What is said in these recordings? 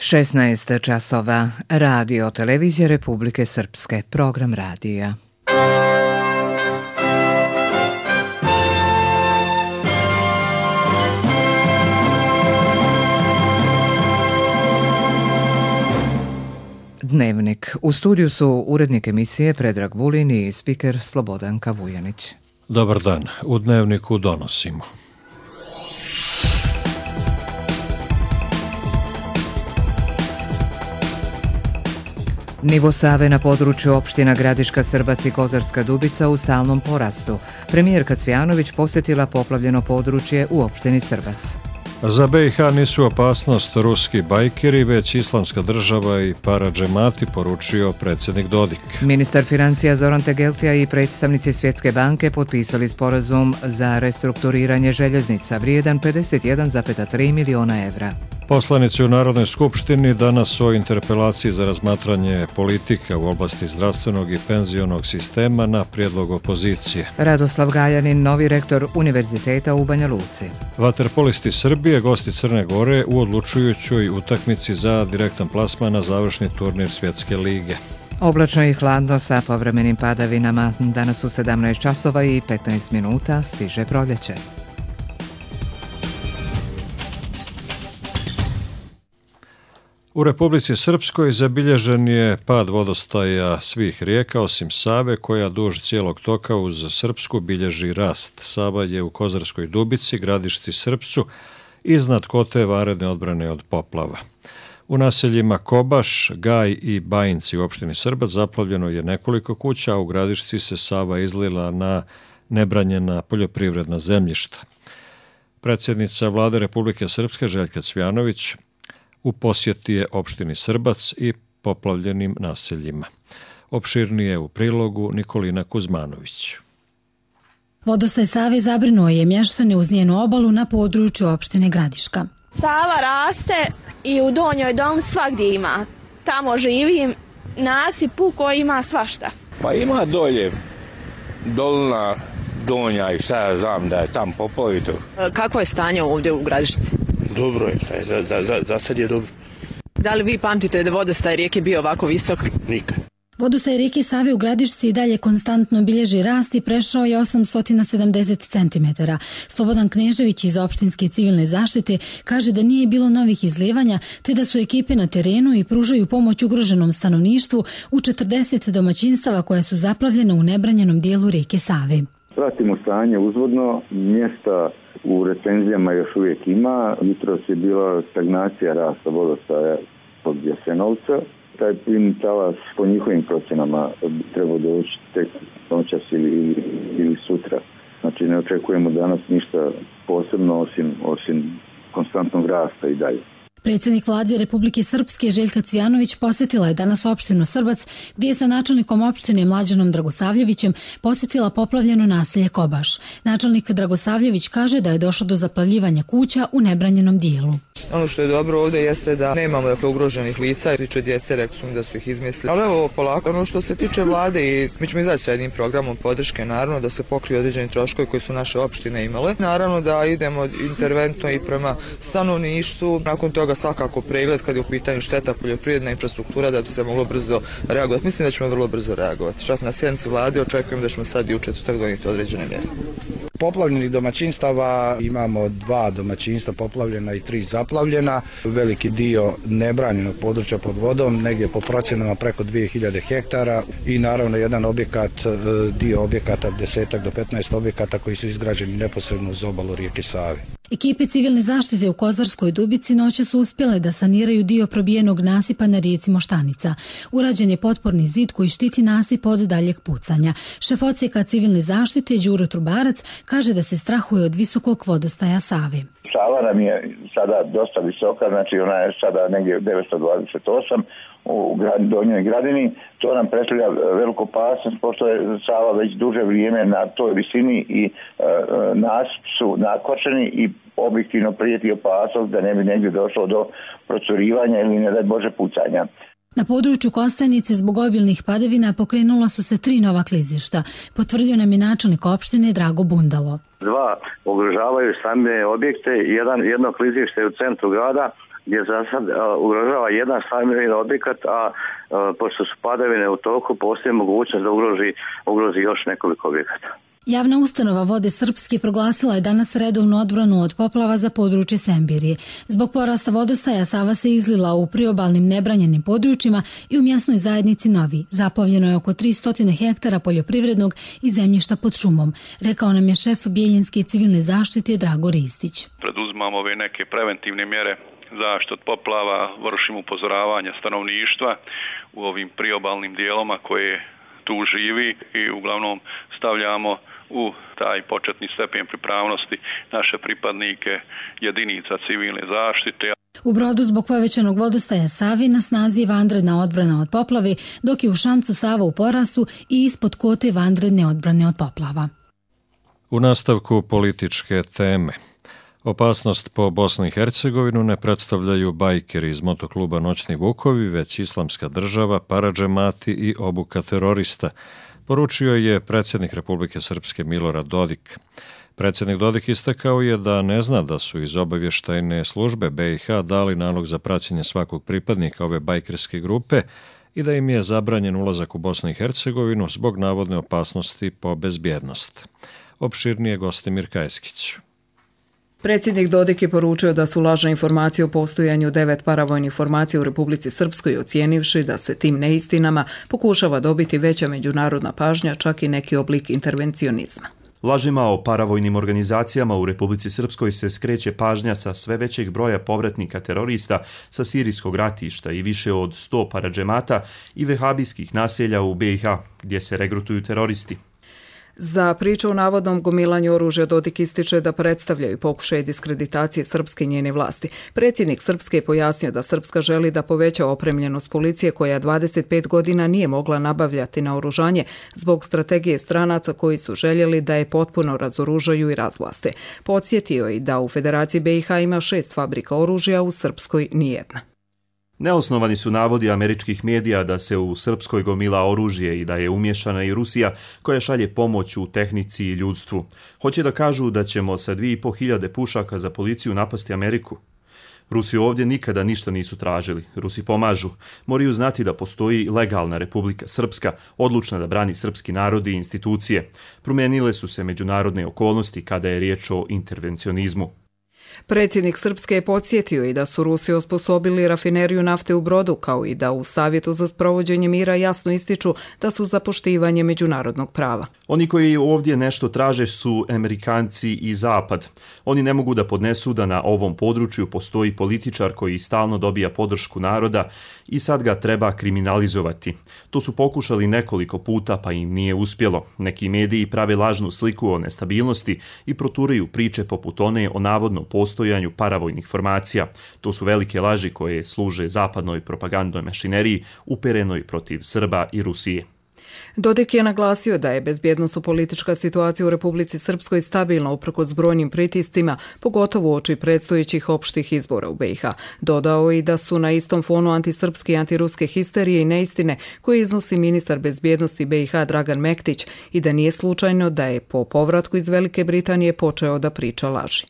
16 časova. Radio Televizije Republike Srpske. Program radija. Dnevnik. U studiju su urednik emisije Predrag Vulin i spiker Slobodanka Vujanić. Dobar dan. U Dnevniku donosimo. Nivo Save na području opština Gradiška, Srbac i Kozarska Dubica u stalnom porastu. Premijerka Cvjanović posjetila poplavljeno područje u opštini Srbac. Za BiH nisu opasnost ruski bajkeri, već islamska država i paradžemati, poručio predsjednik Dodik. Ministar financija Zoran Tegeltija i predstavnici Svjetske banke potpisali sporazum za restrukturiranje željeznica vrijedan 51,3 miliona evra. Poslanici u Narodnoj skupštini danas o interpelaciji za razmatranje politika u oblasti zdravstvenog i penzionog sistema na prijedlog opozicije. Radoslav Galjanin, novi rektor Univerziteta u Banja Luci. Vaterpolisti Srbije, gosti Crne Gore u odlučujućoj utakmici za direktan plasman na završni turnir Svjetske lige. Oblačno i hladno sa povremenim padavinama. Danas u 17 časova i 15 minuta stiže proljeće. U Republici Srpskoj zabilježen je pad vodostaja svih rijeka osim Save, koja duž cijelog toka uz Srpsku bilježi rast. Sava je u Kozarskoj Dubici, Gradišci, Srpcu, iznad Kote vanredne odbrane od poplava. U naseljima Kobaš, Gaj i Bajinci u opštini Srbac zaplavljeno je nekoliko kuća, a u Gradišci se Sava izlila na nebranjena poljoprivredna zemljišta. Predsjednica Vlade Republike Srpske Željka Cvjanović u posjeti je opštini Srbac i poplavljenim naseljima. Opširnije u prilogu Nikolina Kuzmanović. Vodostaj Save zabrinuo je mještane uz njenu obalu na području opštine Gradiška. Sava raste i u Donjoj Dolni svagdje ima. Tamo živim, nasipu koji ima svašta. Pa ima dolje, Dolna, Donja i šta ja znam da je tam poplavito. Kakvo je stanje ovdje u Gradišci? Dobro je, šta je, za sad je dobro. Da li vi pamtite da vodostaj rijeke bio ovako visok? Nikad. Vodostaj rijeke Save u Gradišci i dalje konstantno bilježi rast i prešao je 870 cm. Slobodan Knežević iz opštinske civilne zaštite kaže da nije bilo novih izlijevanja, te da su ekipe na terenu i pružaju pomoć ugroženom stanovništvu u 40 domaćinstava koja su zaplavljena u nebranjenom dijelu rijeke Save. Pratimo stanje uzvodno, mjesta u recenzijama još uvijek ima. Jutros je bila stagnacija rasta vodostaja pod Jasenovca. Taj plimni talas po njihovim procjenama treba doći tek noćas ili sutra. Znači ne očekujemo danas ništa posebno osim konstantnog rasta i dalje. Predsjednik Vlade Republike Srpske Željka Cvjanović posjetila je danas opštinu Srbac, gdje je sa načelnikom opštine Mlađanom Dragosavljevićem posjetila poplavljeno naselje Kobaš. Načelnik Dragosavljević kaže da je došlo do zaplavljivanja kuća u nebranjenom dijelu. Ono što je dobro ovdje jeste da nemamo ugroženih lica, tiče djece, rekli su mi da su ih izmislili. Ali evo polako, ono što se tiče Vlade, i mi ćemo izaći sa jednim programom podrške, naravno da se pokriju određeni troškovi koji su naše opštine imale. Naravno da idemo interventno i prema stanovništvu, nakon toga svakako pregled kad je u pitanju šteta poljoprivredna infrastruktura da bi se moglo brzo reagovati. Mislim da ćemo vrlo brzo reagovati. Čak na sjednici Vlade očekujem da ćemo sad i u četvrtak donijeti određene mjere. Poplavljenih domaćinstava imamo 2 domaćinstva poplavljena i 3 zaplavljena. Veliki dio nebranjenog područja pod vodom, negdje po procjenama preko 2000 hektara i naravno jedan objekat, dio objekata 10 do 15 objekata koji su izgrađeni neposredno uz obalu rijeke Save. Ekipe civilne zaštite u Kozarskoj Dubici noće su uspjele da saniraju dio probijenog nasipa na rijeci Moštanica. Urađen je potporni zid koji štiti nasip od daljeg pucanja. Šef odsjeka civilne zaštite Đuro Trubarac kaže da se strahuje od visokog vodostaja Save. Sava nam je sada dosta visoka, znači ona je sada negdje 928 u Donjoj Gradini. To nam predstavlja veliku opasnost, pošto je Sava već duže vrijeme na toj visini i nasip su nakočeni i objektivno prijeti opasnost da ne bi negdje došlo do procurivanja ili ne daj Bože pucanja. Na području Kostajnice zbog obilnih padavina pokrenula su se 3 nova klizišta, potvrdio nam je načelnik opštine Drago Bundalo. 2 ugrožavaju stambene objekte, jedno klizište je u centru grada gdje za sad ugrožava jedan stambeni objekat, a pošto su padavine u toku, postoji mogućnost da ugrozi još nekoliko objekata. Javna ustanova Vode Srpske proglasila je danas redovnu odbranu od poplava za područje Sembirije. Zbog porasta vodostaja Sava se izlila u priobalnim nebranjenim područjima i u mjesnoj zajednici Novi. Zaplavljeno je oko 300 hektara poljoprivrednog i zemljišta pod šumom, rekao nam je šef Bijeljinske civilne zaštite Drago Ristić. Preduzimamo ove neke preventivne mjere zaštite od poplava, vršimo upozoravanja stanovništva u ovim priobalnim dijeloma koje tu živi i uglavnom stavljamo u taj početni stepen pripravnosti naše pripadnike jedinica civilne zaštite. U Brodu zbog povećanog vodostaja Savi na snazi je vanredna odbrana od poplave, dok je u Šamcu Sava u porastu i ispod Kote vanredne odbrane od poplava. U nastavku političke teme. Opasnost po Bosnu i Hercegovinu ne predstavljaju bajkeri iz motokluba Noćni Vukovi, već Islamska država, paradžemati i obuka terorista, poručio je predsjednik Republike Srpske Milorad Dodik. Predsjednik Dodik istakao je da ne zna da su iz obavještajne službe BiH dali nalog za praćenje svakog pripadnika ove bajkerske grupe i da im je zabranjen ulazak u Bosnu i Hercegovinu zbog navodne opasnosti po bezbjednost. Opširnije Gostimir Kajskić. Predsjednik Dodik je poručio da su lažne informacije o postojanju 9 paravojnih formacija u Republici Srpskoj, ocijenivši da se tim neistinama pokušava dobiti veća međunarodna pažnja, čak i neki oblik intervencionizma. Lažima o paravojnim organizacijama u Republici Srpskoj se skreće pažnja sa sve većeg broja povratnika terorista sa sirijskog ratišta i više od 100 paradžemata i vehabijskih naselja u BiH, gdje se regrutuju teroristi. Za priču o navodnom gomilanju oružja Dodik ističe da predstavljaju pokušaje diskreditacije Srpske i njene vlasti. Predsjednik Srpske je pojasnio da Srpska želi da poveća opremljenost policije koja 25 godina nije mogla nabavljati naoružanje zbog strategije stranaca koji su željeli da je potpuno razoružaju i razvlaste. Podsjetio je da u Federaciji BiH ima 6 fabrika oružja, u Srpskoj nijedna. Neosnovani su navodi američkih medija da se u Srpskoj gomila oružje i da je umješana i Rusija koja šalje pomoć u tehnici i ljudstvu. Hoće da kažu da ćemo sa 2500 pušaka za policiju napasti Ameriku. Rusi ovdje nikada ništa nisu tražili. Rusi pomažu. Moraju znati da postoji legalna Republika Srpska, odlučna da brani srpski narod i institucije. Promijenile su se međunarodne okolnosti kada je riječ o intervencionizmu. Predsjednik Srpske je podsjetio i da su Rusi osposobili rafineriju nafte u Brodu, kao i da u Savjetu za sprovođenje mira jasno ističu da su za poštivanje međunarodnog prava. Oni koji ovdje nešto traže su Amerikanci i Zapad. Oni ne mogu da podnesu da na ovom području postoji političar koji stalno dobija podršku naroda i sad ga treba kriminalizovati. To su pokušali nekoliko puta pa im nije uspjelo. Neki mediji prave lažnu sliku o nestabilnosti i proturaju priče poput one o navodnom postojanju paravojnih formacija. To su velike laži koje služe zapadnoj propagandnoj mašineriji uperenoj protiv Srba i Rusije. Dodik je naglasio da je bezbjednosno-politička situacija u Republici Srpskoj stabilna uprkos brojnim pritiscima, pogotovo uoči predstojećih opštih izbora u BiH. Dodao i da su na istom fonu antisrpske i antiruske histerije i neistine koje iznosi ministar bezbjednosti BiH Dragan Mektić i da nije slučajno da je po povratku iz Velike Britanije počeo da priča laži.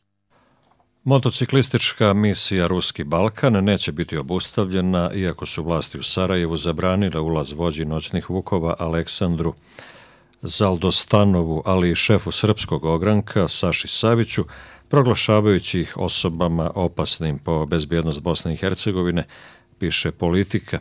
Motociklistička misija Ruski Balkan neće biti obustavljena, iako su vlasti u Sarajevu zabranile ulaz vođi Noćnih Vukova Aleksandru Zaldostanovu, ali i šefu srpskog ogranka Saši Saviću, proglašavajući ih osobama opasnim po bezbjednost Bosne i Hercegovine, piše Politika.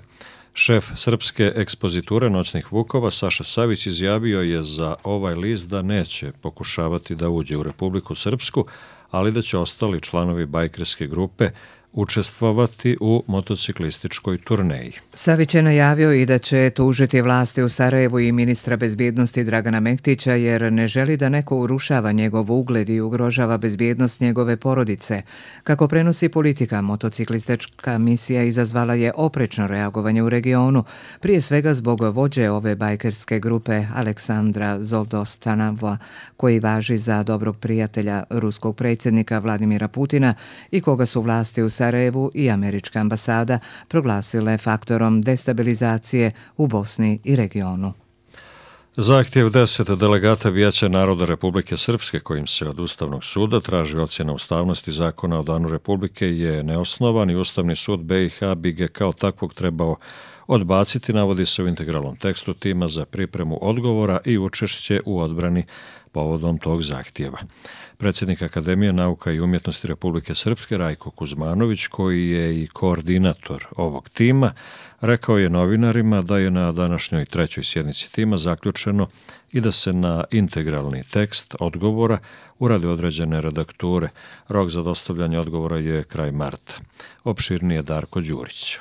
Šef srpske ekspoziture Noćnih Vukova Saša Savić izjavio je za ovaj list da neće pokušavati da uđe u Republiku Srpsku, ali da će ostali članovi bajkerske grupe učestvovati u motociklističkoj turneji. Savić je najavio i da će tužiti vlasti u Sarajevu i ministra bezbjednosti Dragana Mektića jer ne želi da neko urušava njegov ugled i ugrožava bezbjednost njegove porodice. Kako prenosi Politika, motociklistička misija izazvala je oprečno reagovanje u regionu, prije svega zbog vođe ove bajkerske grupe Aleksandra Zoldostanova, koji važi za dobrog prijatelja ruskog predsjednika Vladimira Putina i koga su vlasti u Sarajevu i američka ambasada proglasile faktorom destabilizacije u Bosni i regionu. Zahtjev 10 delegata Vijeća naroda Republike Srpske kojim se od Ustavnog suda traži ocjena ustavnosti zakona o Danu Republike je neosnovan i Ustavni sud BiH bi ga kao takvog trebao odbaciti, navodi se u integralnom tekstu tima za pripremu odgovora i učešće u odbrani povodom tog zahtjeva. Predsjednik Akademije nauka i umjetnosti Republike Srpske Rajko Kuzmanović, koji je i koordinator ovog tima, rekao je novinarima da je na današnjoj 3. sjednici tima zaključeno i da se na integralni tekst odgovora urade određene redakture. Rok za dostavljanje odgovora je kraj marta. Opširnije Darko Đurić.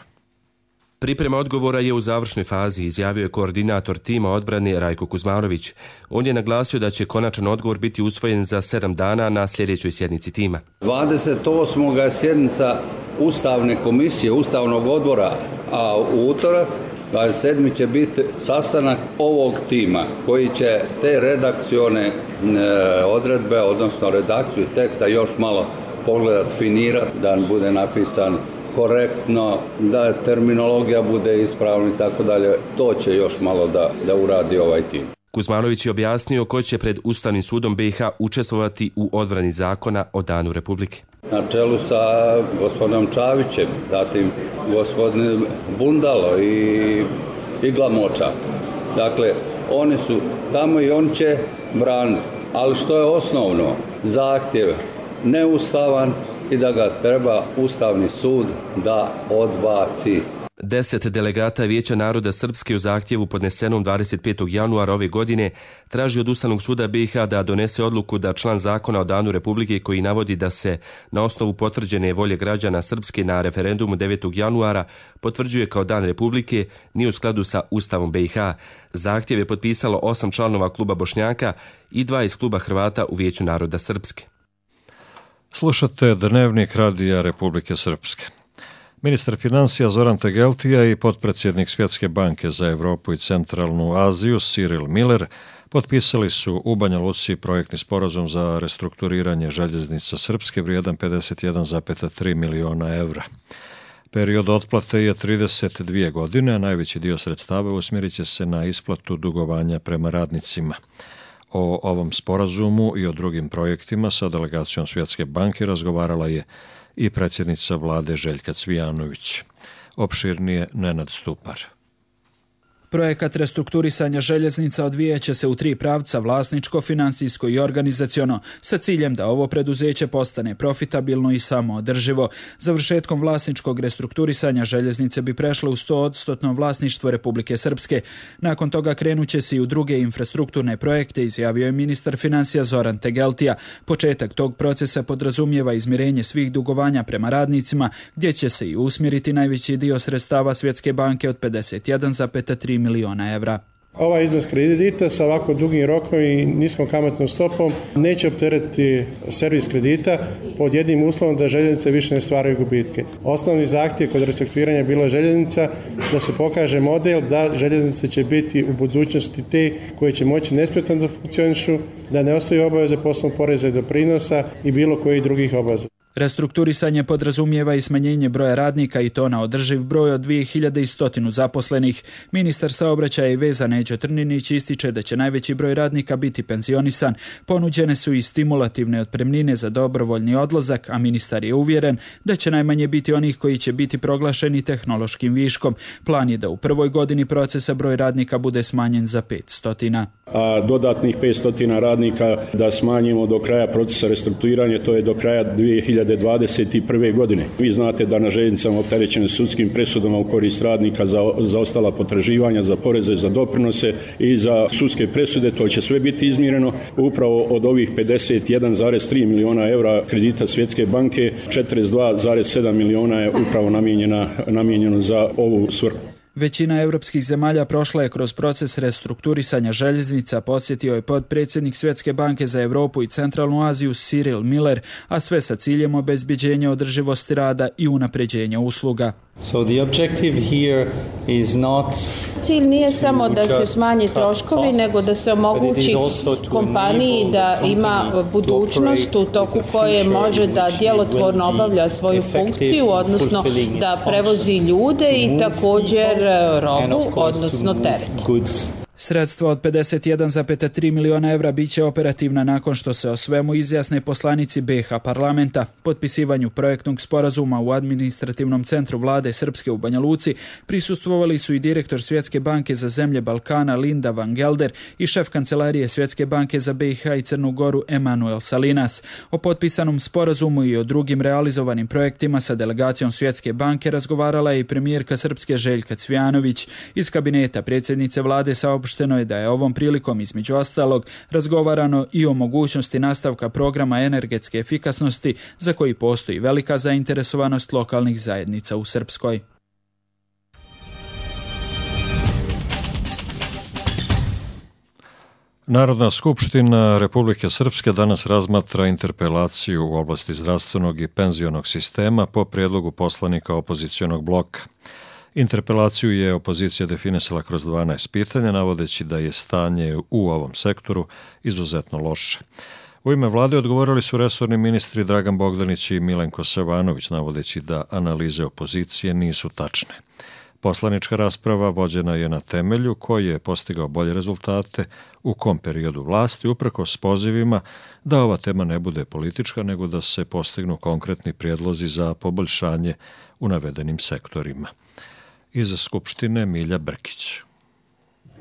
Priprema odgovora je u završnoj fazi, izjavio je koordinator tima odbrane Rajko Kuzmanović. On je naglasio da će konačan odgovor biti usvojen za 7 dana na sljedećoj sjednici tima. 28. je sjednica Ustavne komisije, Ustavnog odbora, a u utorak 27. će biti sastanak ovog tima koji će te redakcione odredbe, odnosno redakciju teksta još malo pogledat, finirati, da bude napisan korektno, da terminologija bude ispravna i tako dalje. To će još malo da uradi ovaj tim. Kuzmanović je objasnio ko će pred Ustavnim sudom BiH učestvovati u odbrani zakona o Danu Republike. Na čelu sa gospodinom Čavićem, zatim gospodin Bundalo i Glamočak. Dakle, oni su tamo i on će braniti. Ali što je osnovno? Zahtjev neustavan i da ga treba Ustavni sud da odbaci. 10 delegata Vijeća naroda Srpske u zahtjevu podnesenom 25. januara ove godine traži od Ustavnog suda BiH da donese odluku da član zakona o Danu Republike koji navodi da se na osnovu potvrđene volje građana Srpske na referendumu 9. januara potvrđuje kao Dan Republike nije u skladu sa Ustavom BiH. Zahtjev je potpisalo 8 članova kluba Bošnjaka i 2 iz kluba Hrvata u Vijeću naroda Srpske. Slušate Dnevnik Radija Republike Srpske. Ministar financija Zoran Tegeltija i potpredsjednik Svjetske banke za Europu i Centralnu Aziju Cyril Miller potpisali su u Banja Luci projektni sporazum za restrukturiranje željeznica Srpske vrijedan 51,3 miliona evra. Period otplate je 32 godine, a najveći dio sredstava usmjerit će se na isplatu dugovanja prema radnicima. O ovom sporazumu i o drugim projektima sa delegacijom Svjetske banke razgovarala je i predsjednica vlade Željka Cvijanović. Opširnije Nenad Stupar. Projekat restrukturisanja željeznica odvijeće se u 3 pravca: vlasničko, financijsko i organizaciono, sa ciljem da ovo preduzeće postane profitabilno i samoodrživo. Završetkom vlasničkog restrukturisanja željeznice bi prešle u 100% vlasništvo Republike Srpske. Nakon toga krenuće se i u druge infrastrukturne projekte, izjavio je ministar financija Zoran Tegeltija. Početak tog procesa podrazumijeva izmirenje svih dugovanja prema radnicima, gdje će se i usmjeriti najveći dio sredstava Svjetske banke od 51,3 miliona evra. Ovaj iznos kredita sa ovako dugim rokom i niskom kamatnom stopom neće opteretiti servis kredita pod jednim uslovom da željeznice više ne stvaraju gubitke. Osnovni zahtjev kod restrukturiranja bilo željeznica da se pokaže model da željeznice će biti u budućnosti te koje će moći nesmetano da funkcionišu, da ne ostaju obaveze poslovnog poreza i doprinosa i bilo kojih drugih obaveza. Restrukturisanje podrazumijeva i smanjenje broja radnika i to na održiv broj od 2100 zaposlenih. Ministar saobraćaja i veza Neđo Trninić ističe da će najveći broj radnika biti penzionisan. Ponuđene su i stimulativne otpremnine za dobrovoljni odlazak, a ministar je uvjeren da će najmanje biti onih koji će biti proglašeni tehnološkim viškom. Plan je da u prvoj godini procesa broj radnika bude smanjen za 500. A dodatnih 500 radnika da smanjimo do kraja procesa restrukturiranja, to je do kraja 2021. godine. Vi znate da na željeznicama opterećene sudskim presudama u korist radnika za ostala potraživanja, za poreze, za doprinose i za sudske presude, to će sve biti izmireno. Upravo od ovih 51,3 miliona evra kredita Svjetske banke, 42,7 miliona je upravo namijenjeno za ovu svrhu. Većina europskih zemalja prošla je kroz proces restrukturisanja željeznica, podsjetio je potpredsjednik Svjetske banke za Europu i Centralnu Aziju Cyril Miller, a sve sa ciljem obezbeđenja održivosti rada i unapređenja usluga. So the objective here is not cilj nije samo da se smanje troškovi, nego da se omogući kompaniji da ima budućnost u toku koje može da djelotvorno obavlja svoju funkciju, odnosno da prevozi ljude i također robu, odnosno teret. Sredstva od 51,3 miliona evra bit će operativna nakon što se o svemu izjasne poslanici BiH parlamenta. Potpisivanju projektnog sporazuma u administrativnom centru vlade Srpske u Banja Luci prisustvovali su i direktor Svjetske banke za zemlje Balkana Linda van Gelder i šef kancelarije Svjetske banke za BiH i Crnu Goru Emanuel Salinas. O potpisanom sporazumu i o drugim realizovanim projektima sa delegacijom Svjetske banke razgovarala je i premijerka Srpske Željka Cvijanović. Iz kabineta predsjednice vlade saopšteno je da je ovom prilikom između ostalog razgovarano i o mogućnosti nastavka programa energetske efikasnosti za koji postoji velika zainteresovanost lokalnih zajednica u Srpskoj. Narodna skupština Republike Srpske danas razmatra interpelaciju u oblasti zdravstvenog i penzionog sistema po prijedlogu poslanika opozicionog bloka. Interpelaciju je opozicija definisala kroz 12 pitanja, navodeći da je stanje u ovom sektoru izuzetno loše. U ime vlade odgovorili su resorni ministri Dragan Bogdanić i Milenko Savanović, navodeći da analize opozicije nisu tačne. Poslanička rasprava vođena je na temelju koji je postigao bolje rezultate u kom periodu vlasti, uprkos pozivima da ova tema ne bude politička, nego da se postignu konkretni prijedlozi za poboljšanje u navedenim sektorima. Iz Skupštine Milja Brkić.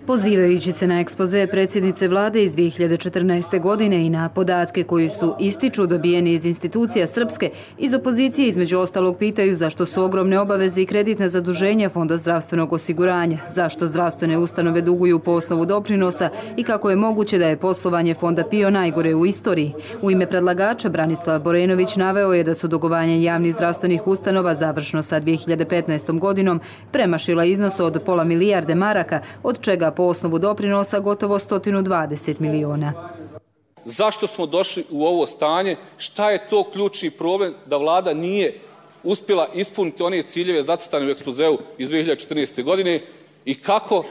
Pozivajući se na ekspoze predsjednice vlade iz 2014. godine i na podatke koji su ističu dobijeni iz institucija Srpske, iz opozicije između ostalog pitaju zašto su ogromne obaveze i kreditna zaduženja Fonda zdravstvenog osiguranja, zašto zdravstvene ustanove duguju po osnovu doprinosa i kako je moguće da je poslovanje Fonda PIO najgore u istoriji. U ime predlagača Branislav Borenović naveo je da su dugovanja javnih zdravstvenih ustanova završno sa 2015. godinom premašila iznos od pola milijarde maraka, od čega po osnovu doprinosa gotovo 120 miliona. Zašto smo došli u ovo stanje? Šta je to ključni problem da vlada nije uspjela ispuniti one ciljeve zacrtane u ekspozeu iz 2014. godine i kako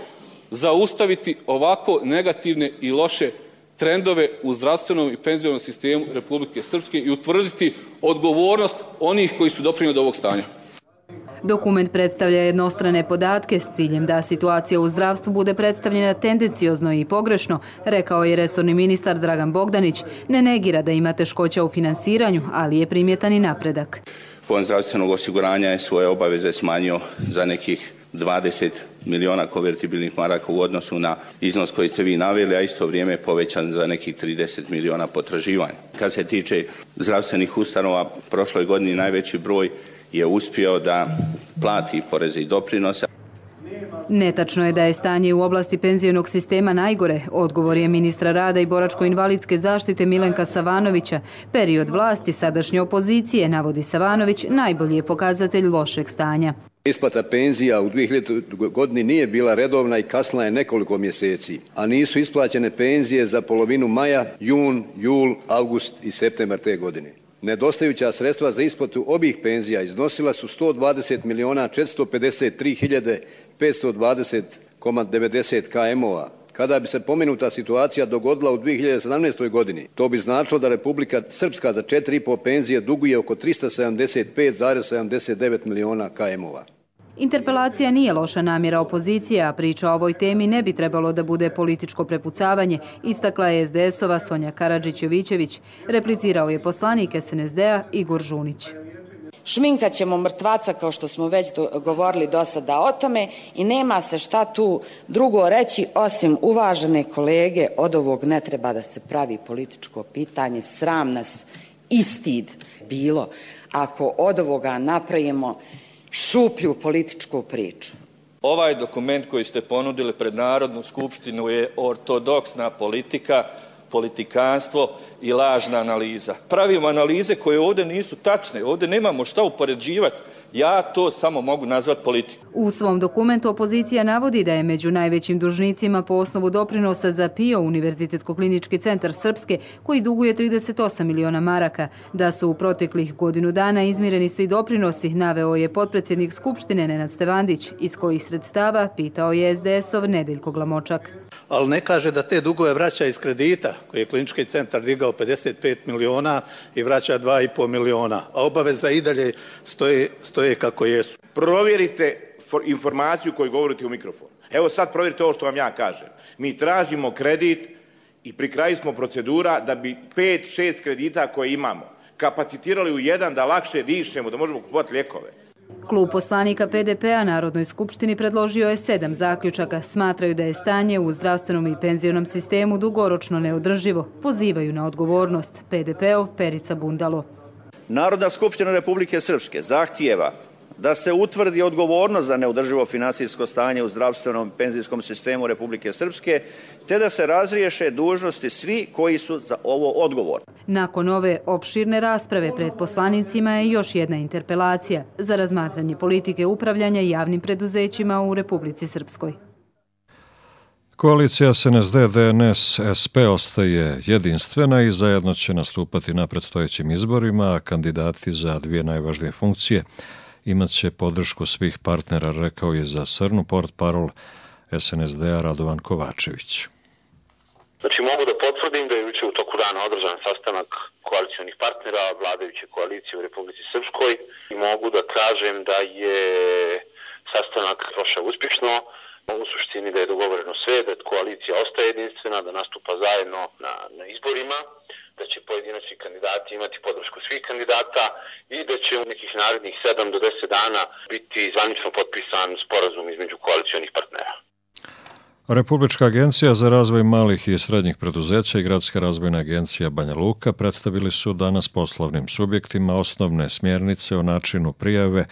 zaustaviti ovako negativne i loše trendove u zdravstvenom i penzionom sistemu Republike Srpske i utvrditi odgovornost onih koji su doprinijeli do ovog stanja. Dokument predstavlja jednostrane podatke s ciljem da situacija u zdravstvu bude predstavljena tendenciozno i pogrešno, rekao je resorni ministar Dragan Bogdanić. Ne negira da ima teškoća u finansiranju, ali je primjetan i napredak. Fond zdravstvenog osiguranja je svoje obaveze smanjio za nekih 20 miliona konvertibilnih maraka u odnosu na iznos koji ste vi naveli, a isto vrijeme je povećan za nekih 30 miliona potraživanja. Kad se tiče zdravstvenih ustanova, prošloj godini najveći broj je uspio da plati poreze i doprinose. Netačno je da je stanje u oblasti penzionog sistema najgore, odgovor je ministra rada i boračko-invalidske zaštite Milenka Savanovića. Period vlasti sadašnje opozicije, navodi Savanović, najbolji je pokazatelj lošeg stanja. Isplata penzija u 2000. godini nije bila redovna i kasnila je nekoliko mjeseci, a nisu isplaćene penzije za polovinu maja, jun, jul, avgust i septembar te godine. Nedostajuća sredstva za isplatu obih penzija iznosila su 120 miliona 453 hiljade 520,90 km-ova. Kada bi se pomenuta situacija dogodila u 2017. godini, to bi značilo da Republika Srpska za 4,5 penzije duguje oko 375,79 miliona km-ova. Interpelacija nije loša namjera opozicije, a priča o ovoj temi ne bi trebalo da bude političko prepucavanje, istakla je SDS-ova Sonja Karadžić-Jovićević. Replicirao je poslanik SNSD-a Igor Žunić. Šminkat ćemo mrtvaca kao što smo već govorili do sada o tome i nema se šta tu drugo reći osim uvažene kolege, od ovog ne treba da se pravi političko pitanje, sram nas i stid bilo ako od ovoga napravimo šuplju političku priču. Ovaj dokument koji ste ponudili pred Narodnu skupštinu je ortodoksna politika, politikanstvo i lažna analiza. Pravimo analize koje ovdje nisu tačne, ovdje nemamo šta upoređivati. Ja to samo mogu nazvati politikom. U svom dokumentu opozicija navodi da je među najvećim dužnicima po osnovu doprinosa za PIO Univerzitetsko-klinički centar Srpske, koji duguje 38 miliona maraka. Da su u proteklih godinu dana izmireni svi doprinosi, naveo je potpredsjednik Skupštine Nenad Stevandić, iz kojih sredstava pitao je SDS-ov Nedeljko Glamočak. Ali ne kaže da te dugove vraća iz kredita, koji je klinički centar digao 55 miliona i vraća 2,5 miliona, a obaveza i dalje stoje kako jesu. Provjerite informaciju koju govorite u mikrofon. Evo sad provjerite ovo što vam ja kažem. Mi tražimo kredit i pri kraju smo procedura da bi 5-6 kredita koje imamo kapacitirali u jedan da lakše dišemo, da možemo kupovati lijekove. Klub poslanika PDP-a Narodnoj skupštini predložio je 7 zaključaka. Smatraju da je stanje u zdravstvenom i penzionom sistemu dugoročno neodrživo. Pozivaju na odgovornost. PDP-ov Perica Bundalo. Narodna skupština Republike Srpske zahtijeva da se utvrdi odgovornost za neodrživo finansijsko stanje u zdravstvenom i penzijskom sistemu Republike Srpske, te da se razriješe dužnosti svi koji su za ovo odgovorni. Nakon ove opširne rasprave pred poslanicima je još jedna interpelacija za razmatranje politike upravljanja javnim preduzećima u Republici Srpskoj. Koalicija SNSD-DNS-SP ostaje jedinstvena i zajedno će nastupati na predstojećim izborima, a kandidati za dvije najvažnije funkcije imat će podršku svih partnera, rekao je za Srnu portparol SNSD-a Radovan Kovačević. Znači mogu da potvrdim da je jučer u toku dana održan sastanak koalicionih partnera vladajuće koalicije u Republici Srpskoj i mogu da kažem da je sastanak prošao uspješno. U suštini da je dogovoreno sve, da koalicija ostaje jedinstvena, da nastupa zajedno na izborima, da će pojedinačni kandidati imati podršku svih kandidata i da će u nekih narednih 7 do 10 dana biti zvanično potpisan sporazum između koalicionih partnera. Republička agencija za razvoj malih i srednjih preduzeća i Gradska razvojna agencija Banja Luka predstavili su danas poslovnim subjektima osnovne smjernice o načinu prijave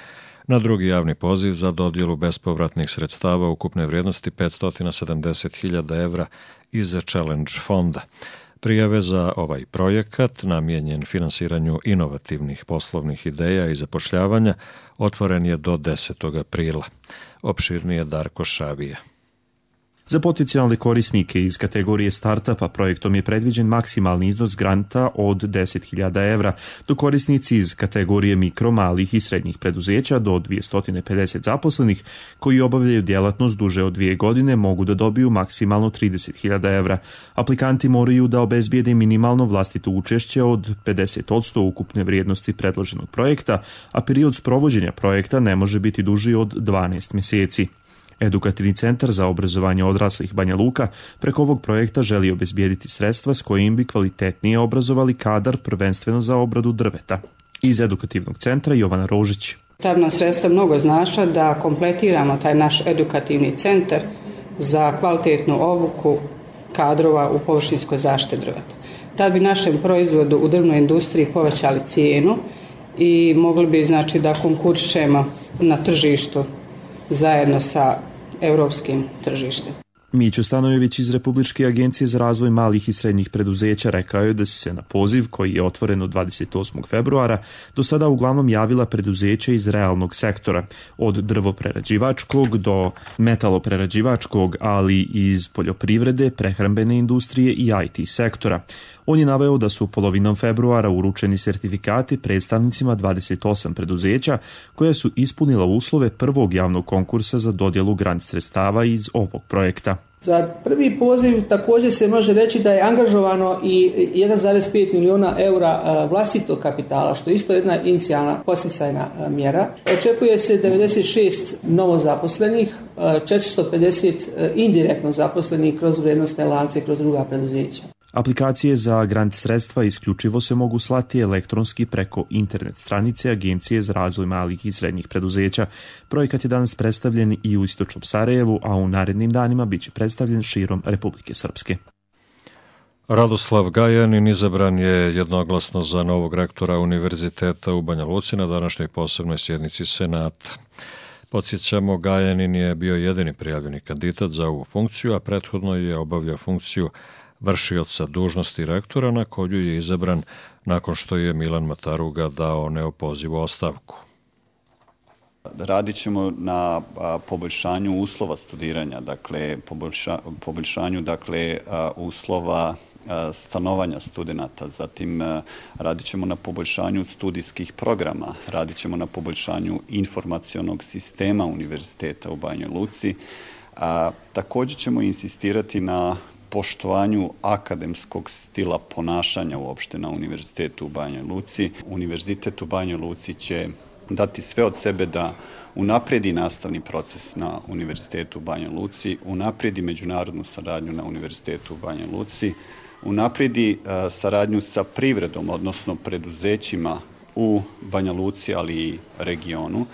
na drugi javni poziv za dodjelu bespovratnih sredstava ukupne vrijednosti 570.000 evra iz Challenge fonda. Prijave za ovaj projekat, namijenjen finansiranju inovativnih poslovnih ideja i zapošljavanja, otvoren je do 10. aprila. Opširnije Darko Šavija. Za potencijalne korisnike iz kategorije startupa projektom je predviđen maksimalni iznos granta od 10.000 evra, dok korisnici iz kategorije mikro, malih i srednjih preduzeća do 250 zaposlenih koji obavljaju djelatnost duže od 2 godine mogu da dobiju maksimalno 30.000 evra. Aplikanti moraju da obezbijede minimalno vlastito učešće od 50% ukupne vrijednosti predloženog projekta, a period sprovođenja projekta ne može biti duži od 12 mjeseci. Edukativni centar za obrazovanje odraslih Banja Luka preko ovog projekta želi obezbijediti sredstva s kojim bi kvalitetnije obrazovali kadar prvenstveno za obradu drveta. Iz edukativnog centra Jovana Rožić. Ta nam sredstva mnogo znača da kompletiramo taj naš edukativni centar za kvalitetnu obuku kadrova u površinskoj zaštiti drveta. Tad bi našem proizvodu u drvnoj industriji povećali cijenu i mogli bi znači da konkurišemo na tržištu zajedno sa europskim tržištem. Mićo Stanojević iz Republičke agencije za razvoj malih i srednjih preduzeća rekao je da su se na poziv, koji je otvoren od 28. februara, do sada uglavnom javila preduzeća iz realnog sektora, od drvoprerađivačkog do metaloprerađivačkog, ali i iz poljoprivrede, prehrambene industrije i IT sektora. On je naveo da su polovinom februara uručeni sertifikati predstavnicima 28 preduzeća koja su ispunila uslove prvog javnog konkursa za dodjelu grant sredstava iz ovog projekta. Za prvi poziv također se može reći da je angažovano i 1,5 miliona eura vlastitog kapitala, što je isto jedna inicijalna podsticajna mjera. Očekuje se 96 novozaposlenih, 450 indirektno zaposlenih kroz vrijednosne lance, kroz druga preduzeća. Aplikacije za grant sredstva isključivo se mogu slati elektronski preko internet stranice Agencije za razvoj malih i srednjih preduzeća. Projekat je danas predstavljen i u istočnom Sarajevu, a u narednim danima biće predstavljen širom Republike Srpske. Radoslav Gajanin izabran je jednoglasno za novog rektora Univerziteta u Banja Luci na današnjoj posebnoj sjednici Senata. Podsjećamo, Gajanin je bio jedini prijavljeni kandidat za ovu funkciju, a prethodno je obavljao funkciju vršioca dužnosti rektora na koju je izabran nakon što je Milan Mataruga dao neopozivu ostavku. Radit ćemo na poboljšanju uslova studiranja, dakle poboljšanju uslova stanovanja studenata, zatim radit ćemo na poboljšanju studijskih programa, radit ćemo na poboljšanju informacionog sistema univerziteta u Banjoj Luci. Također ćemo insistirati na poštovanju akademskog stila ponašanja uopšte na univerzitetu u Banjoj Luci. Univerzitet u Banjoj Luci će dati sve od sebe da unapredi nastavni proces na univerzitetu u Banjoj Luci, unapredi međunarodnu saradnju na univerzitetu u Banjoj Luci, unapredi saradnju sa privredom, odnosno preduzećima u Banja Luci, ali i regionu.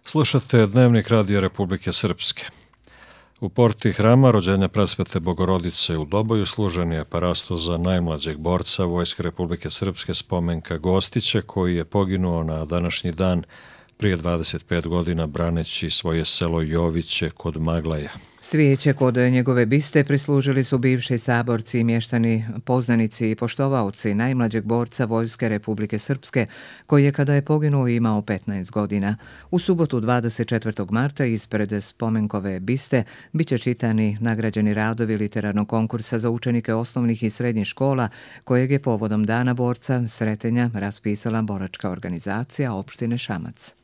Slušate Dnevnik Radija Republike Srpske. U porti hrama rođenja Presvete Bogorodice u Doboju služen je parasto za najmlađeg borca Vojske Republike Srpske Spomenka Gostića, koji je poginuo na današnji dan prije 25 godina braneći svoje selo Joviće kod Maglaja. Svijeće kod njegove biste prislužili su bivši saborci i mještani, poznanici i poštovaoci najmlađeg borca Vojske Republike Srpske, koji je kada je poginuo imao 15 godina. U subotu 24. marta ispred spomenkove biste biće čitani nagrađeni radovi literarnog konkursa za učenike osnovnih i srednjih škola, kojeg je povodom Dana borca Sretenja raspisala boračka organizacija opštine Šamac.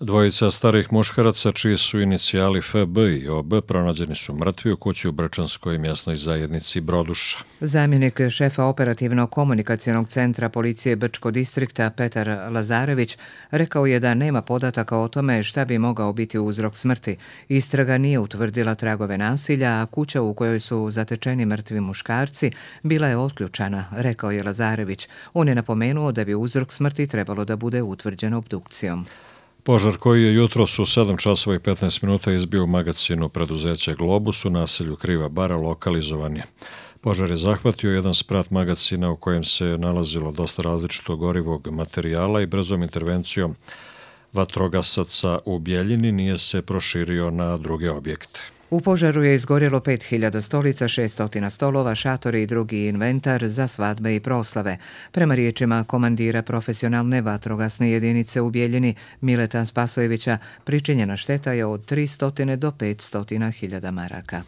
Dvojica starih muškaraca, čiji su inicijali FB i OB, pronađeni su mrtvi u kući u Brčanskoj mjesnoj zajednici Broduša. Zamjenik šefa operativno-komunikacionog centra policije Brčko distrikta Petar Lazarević rekao je da nema podataka o tome šta bi mogao biti uzrok smrti. Istraga nije utvrdila tragove nasilja, a kuća u kojoj su zatečeni mrtvi muškarci bila je otključana, rekao je Lazarević. On je napomenuo da bi uzrok smrti trebalo da bude utvrđen obdukcijom. Požar koji je jutros u 7 časova i 15 minuta izbio u magacinu preduzeća Globus u naselju Kriva Bara lokalizovan je. Požar je zahvatio jedan sprat magacina u kojem se nalazilo dosta različitog gorivog materijala i brzom intervencijom vatrogasaca u Bjeljini nije se proširio na druge objekte. U požaru je izgorjelo 5000 stolica, 600 stolova, šatori i drugi inventar za svadbe i proslave. Prema riječima komandira profesionalne vatrogasne jedinice u Bjeljini Mileta Spasojevića, pričinjena šteta je od 300 do 500.000 maraka.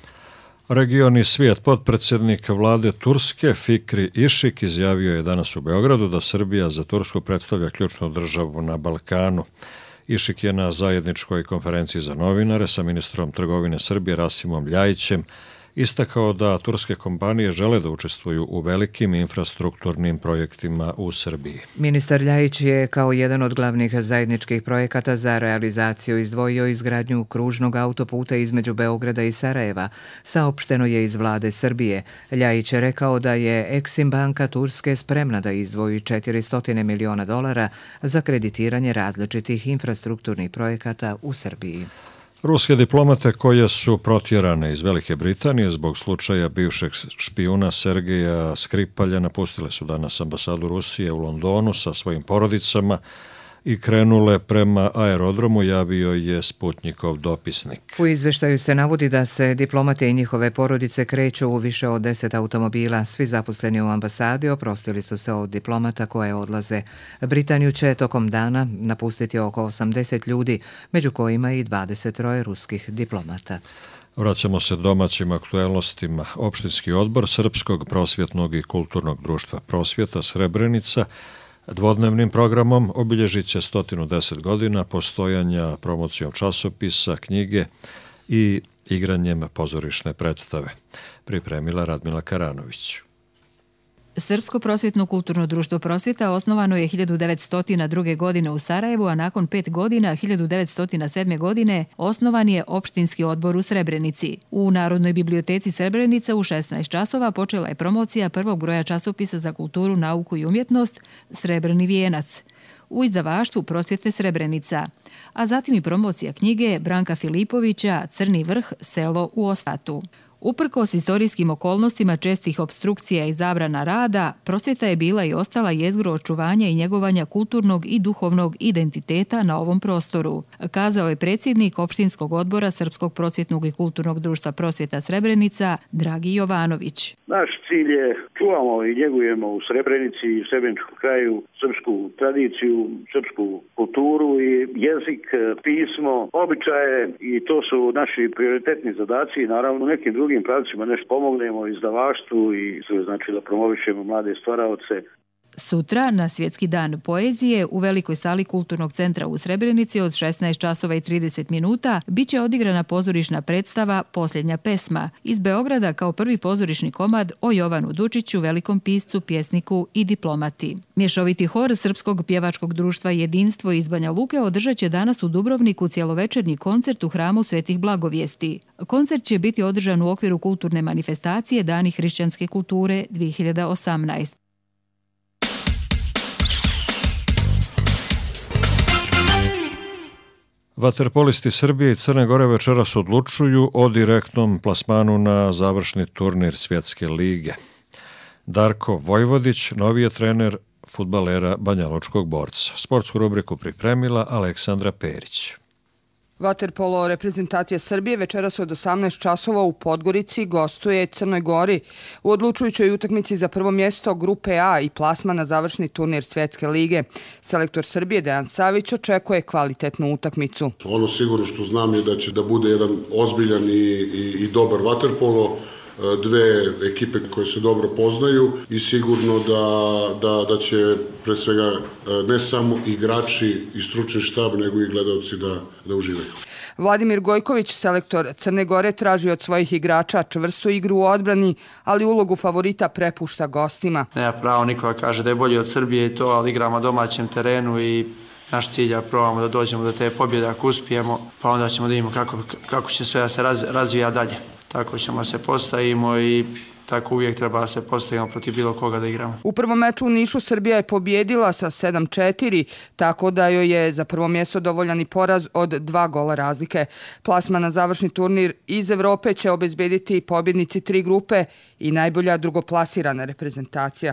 Region i svijet, potpredsjednik vlade Turske Fikri Išik izjavio je danas u Beogradu da Srbija za Tursku predstavlja ključnu državu na Balkanu. Išik je na zajedničkoj konferenciji za novinare sa ministrom trgovine Srbije Rasimom Ljajićem istakao da turske kompanije žele da učestvuju u velikim infrastrukturnim projektima u Srbiji. Ministar Ljajić je kao jedan od glavnih zajedničkih projekata za realizaciju izdvojio izgradnju kružnog autoputa između Beograda i Sarajeva. Saopšteno je iz vlade Srbije. Ljajić je rekao da je Exim banka Turske spremna da izdvoji $400 miliona za kreditiranje različitih infrastrukturnih projekata u Srbiji. Ruske diplomate koje su protjerane iz Velike Britanije zbog slučaja bivšeg špijuna Sergeja Skripalja napustile su danas ambasadu Rusije u Londonu sa svojim porodicama i krenule prema aerodromu, javio je Sputnikov dopisnik. U izveštaju se navodi da se diplomate i njihove porodice kreću u više od 10 automobila. Svi zaposleni u ambasadi oprostili su se od diplomata koje odlaze. Britaniju će tokom dana napustiti oko 80 ljudi, među kojima i 23 ruskih diplomata. Vraćamo se domaćim aktuelnostima. Opštinski odbor Srpskog prosvjetnog i kulturnog društva Prosvjeta Srebrenica dvodnevnim programom obilježit će 110 godina postojanja, promocijom časopisa, knjige i igranjem pozorišne predstave. Pripremila Radmila Karanović. Srpsko prosvjetno kulturno društvo Prosvjeta osnovano je 1902. godine u Sarajevu, a nakon 5 godina, 1907. godine, osnovan je opštinski odbor u Srebrenici. U Narodnoj biblioteci Srebrenica u 16 časova počela je promocija prvog broja časopisa za kulturu, nauku i umjetnost Srebrni vijenac u izdavaštvu Prosvjete Srebrenica, a zatim i promocija knjige Branka Filipovića Crni vrh, selo u Ostatu. Uprkos istorijskim okolnostima čestih opstrukcija i zabrana rada, prosvjeta je bila i ostala jezgro očuvanja i njegovanja kulturnog i duhovnog identiteta na ovom prostoru, kazao je predsjednik opštinskog odbora Srpskog prosvjetnog i kulturnog društva Prosvjeta Srebrenica, Dragi Jovanović. Naš cilj je čuvamo i njegujemo u Srebrenici i Srebreničkom kraju srpsku tradiciju, srpsku kulturu i jezik, pismo, običaje i to su naši prioritetni zadaci i naravno u nekim drugim pravcima nešto pomognemo izdavaštvu i znači da promovišemo mlade stvaraoce. Sutra, na Svjetski dan poezije, u velikoj sali Kulturnog centra u Srebrenici od 16 časova i 30 minuta biće odigrana pozorišna predstava Posljednja pesma iz Beograda kao prvi pozorišni komad o Jovanu Dučiću, velikom piscu, pjesniku i diplomati. Mješoviti hor Srpskog pjevačkog društva Jedinstvo iz Banja Luke održat će danas u Dubrovniku cjelovečernji koncert u hramu Svetih Blagovijesti. Koncert će biti održan u okviru kulturne manifestacije Dani hrišćanske kulture 2018. Vaterpolisti Srbije i Crne Gore večeras odlučuju o direktnom plasmanu na završni turnir Svjetske lige. Darko Vojvodić, novi je trener fudbalera Banjalučkog Borca. Sportsku rubriku pripremila Aleksandra Perić. Vaterpolo reprezentacija Srbije večeras od 18 časova u Podgorici gostuje Crnoj Gori u odlučujućoj utakmici za prvo mjesto grupe A i plasma na završni turnir Svjetske lige. Selektor Srbije Dejan Savić očekuje kvalitetnu utakmicu. Ono sigurno što znam je da će da bude jedan ozbiljan i dobar vaterpolo, dve ekipe koje se dobro poznaju i sigurno da će pre svega ne samo igrači i stručni štab nego i gledalci da uživaju. Vladimir Gojković, selektor Crne Gore, traži od svojih igrača čvrstu igru u odbrani, ali ulogu favorita prepušta gostima. Nema pravo nikoga kaže da je bolji od Srbije i to, ali igramo domaćem terenu i naš cilj je probamo da dođemo do te pobjede ako uspijemo, pa onda ćemo da vidimo kako će sve da se razvija dalje. Tako ćemo se postavimo i tako uvijek treba da se postavimo protiv bilo koga da igramo. U prvom meču u Nišu Srbija je pobjedila sa 7-4, tako da joj je za prvo mjesto dovoljan i poraz od 2 gola razlike. Plasman na završni turnir iz Evrope će obezbediti pobjednici 3 grupe i najbolja drugoplasirana reprezentacija.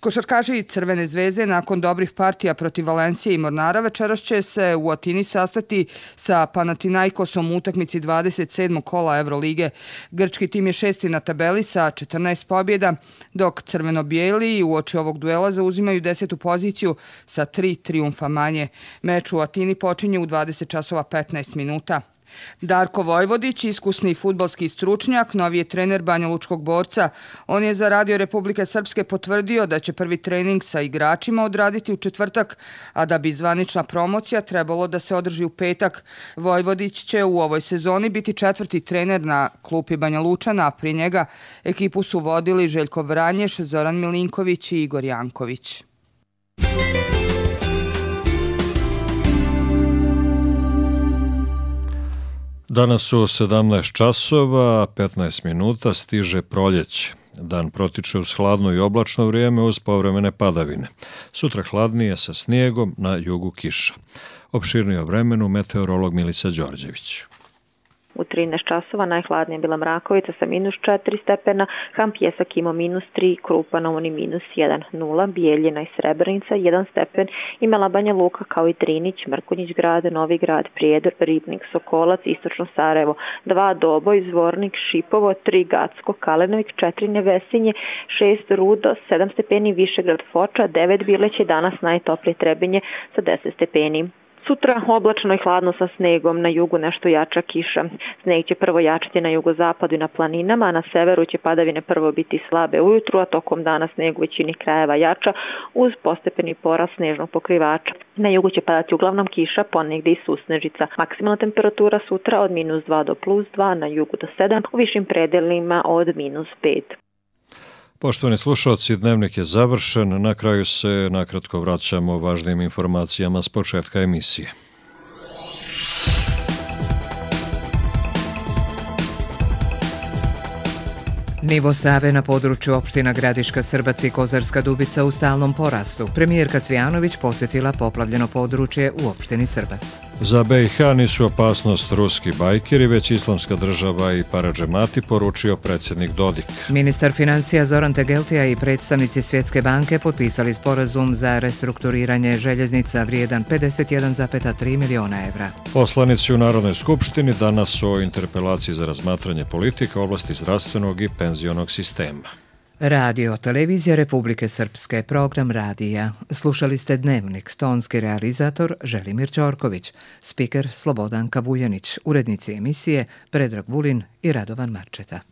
Košarkaši Crvene zvezde nakon dobrih partija protiv Valencije i Mornara večeras će se u Atini sastati sa Panathinaikosom u utakmici 27. kola Evrolige. Grčki tim je 6. na tabeli sa 14 pobjeda, dok crveno-bijeli uoči ovog duela zauzimaju 10. poziciju sa 3 trijumfa manje. Meč u Atini počinje u 20 časova 15 minuta. Darko Vojvodić, iskusni fudbalski stručnjak, novi je trener Banjalučkog Borca. On je za Radio Republike Srpske potvrdio da će prvi trening sa igračima odraditi u četvrtak, a da bi zvanična promocija trebalo da se održi u petak. Vojvodić će u ovoj sezoni biti 4. trener na klupi Banjalučana, a pri njega ekipu su vodili Željko Vranješ, Zoran Milinković i Igor Janković. Danas u 17 časova, 15 minuta stiže proljeće. Dan protiče uz hladno i oblačno vrijeme uz povremene padavine. Sutra hladnije sa snijegom, na jugu kiša. Opširnije o vremenu meteorolog Milica Đorđević. U 13 časova najhladnija bila Mrakovica sa -4 stepena, Ham Pjesak imao -3, Krupa na Uni -1,0, Bijeljina i Srebrenica 1 stepen, imala Banja Luka kao i Drinić, Mrkonjić grad, Novi grad, Prijedor, Ribnik, Sokolac, Istočno Sarajevo 2, Doboj, Zvornik, Šipovo 3, Gacko, Kalenovik 4, Nevesinje 6, Rudo 7 stepeni, Višegrad, Foča 9, Bileće, danas najtoplije Trebinje sa 10 stepeni. Sutra oblačno i hladno sa snegom, na jugu nešto jača kiša. Sneg će prvo jačati na jugozapadu i na planinama, a na severu će padavine prvo biti slabe ujutru, a tokom dana sneg u većini krajeva jača uz postepeni porast snežnog pokrivača. Na jugu će padati uglavnom kiša, ponegdje i susnežica. Maksimalna temperatura sutra od -2 do +2, na jugu do 7, u višim predelima od -5. Poštovani slušalci, dnevnik je završen. Na kraju se nakratko vraćamo važnim informacijama s početka emisije. Nivo Save na području opština Gradiška, Srbac i Kozarska Dubica u stalnom porastu. Premijerka Cvijanović posjetila poplavljeno područje u opštini Srbac. Za BiH nisu opasnost ruski bajkeri, već islamska država i paradžemati, poručio predsjednik Dodik. Ministar financija Zoran Tegeltija i predstavnici Svjetske banke potpisali sporazum za restrukturiranje željeznica vrijedan 51,3 miliona evra. Poslanici u Narodnoj skupštini danas o interpelaciji za razmatranje politika u oblasti zdravstvenog i penzionog sistema. Radio, televizija Republike Srpske, program radija. Slušali ste Dnevnik, tonski realizator Želimir Ćorković, spiker Slobodanka Vujanić, urednici emisije Predrag Vulin i Radovan Marčeta.